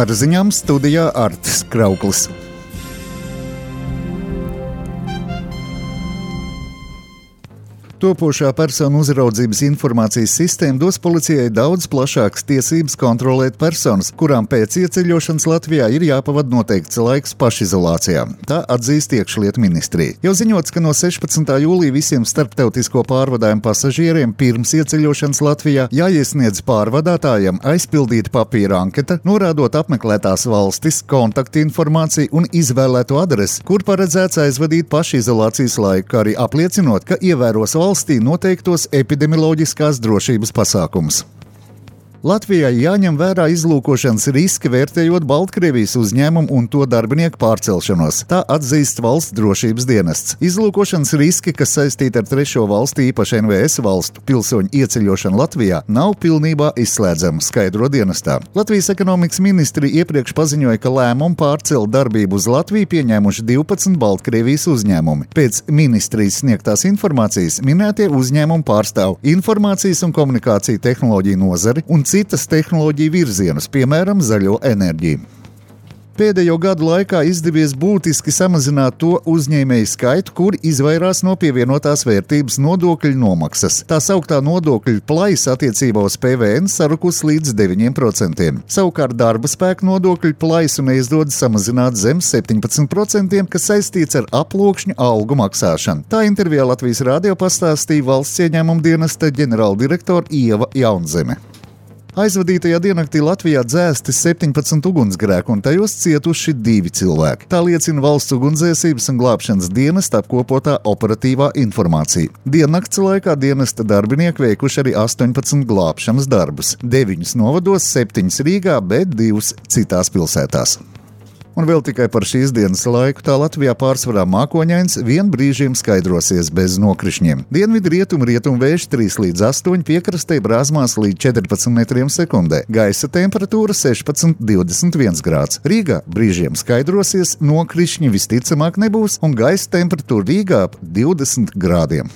Ar ziņām studijā Artis Krauklis. Topošā personu uzraudzības informācijas sistēma dos policijai daudz plašākas tiesības kontrolēt personas, kurām pēc ieceļošanas Latvijā ir jāpavada noteikts laiks pašizolācijā. Tā atzīst iekšlietu ministrija. Jau ziņots, ka no 16. jūlija visiem starptautisko pārvadājumu pasažieriem pirms ieceļošanas Latvijā jāiesniedz pārvadātājiem aizpildīta papīra anketa, norādot apmeklētās valstis, kontaktinformāciju un izvēlēto adresi, kur paredzēts aizvadīt pašizolācijas laiku, kā arī apliecinot, ka ievēros valstī noteiktos epidemioloģiskās drošības pasākumus. Latvijai jāņem vērā izlūkošanas riski, vērtējot Baltkrievijas uzņēmumu un to darbinieku pārcelšanos. Tā atzīst valsts drošības dienests. Izlūkošanas riski, kas saistīti ar trešo valstu, īpaši NVS valstu pilsoņu ieceļošanu Latvijā, nav pilnībā izslēdzama, skaidro dienestā. Latvijas ekonomikas ministrija iepriekš paziņoja, ka lēmumu pārcelt darbību uz Latviju pieņēmuši 12 Baltkrievijas uzņēmumi. Pēc ministrijas sniegtās informācijas minētie uzņēmumi pārstāv informācijas un komunikāciju tehnoloģiju nozari un citas tehnoloģiju virzienus, piemēram, zaļo enerģiju. Pēdējo gadu laikā izdevies būtiski samazināt to uzņēmēju skaitu, kuri izvairās no pievienotās vērtības nodokļu nomaksas. Tā sauktā nodokļu plaisa attiecībā uz PVN sarukus līdz 9%. Savukārt darba spēka nodokļu plaisu neizdodas samazināt zem 17%, kas saistīts ar aploksņu algu maksāšanu. Tā intervijā Latvijas radio pastāstīja valsts ieņēmuma dienesta ģenerāldirektora Ieva Jaunzeme. Aizvadītajā diennaktī Latvijā dzēsti 17 ugunsgrēku un tajos cietuši 2 cilvēki. Tā liecina valsts ugunsdzēsības un glābšanas dienesta apkopotā operatīvā informācija. Diennakts laikā dienesta darbinieki veikuši arī 18 glābšanas darbus. 9 novados, 7 Rīgā, bet 2 citās pilsētās. Un vēl tikai par šīs dienas laiku tā Latvijā pārsvarā mākoņains, vien brīžiem skaidrosies bez nokrišņiem. Dienvidu rietumu vējš 3 līdz 8, piekrastē brāzmās līdz 14 metriem sekundē. Gaisa temperatūra 16–21 grāds. Rīgā brīžiem skaidrosies, nokrišņi visticamāk nebūs, un gaisa temperatūra Rīgā ap 20 grādiem.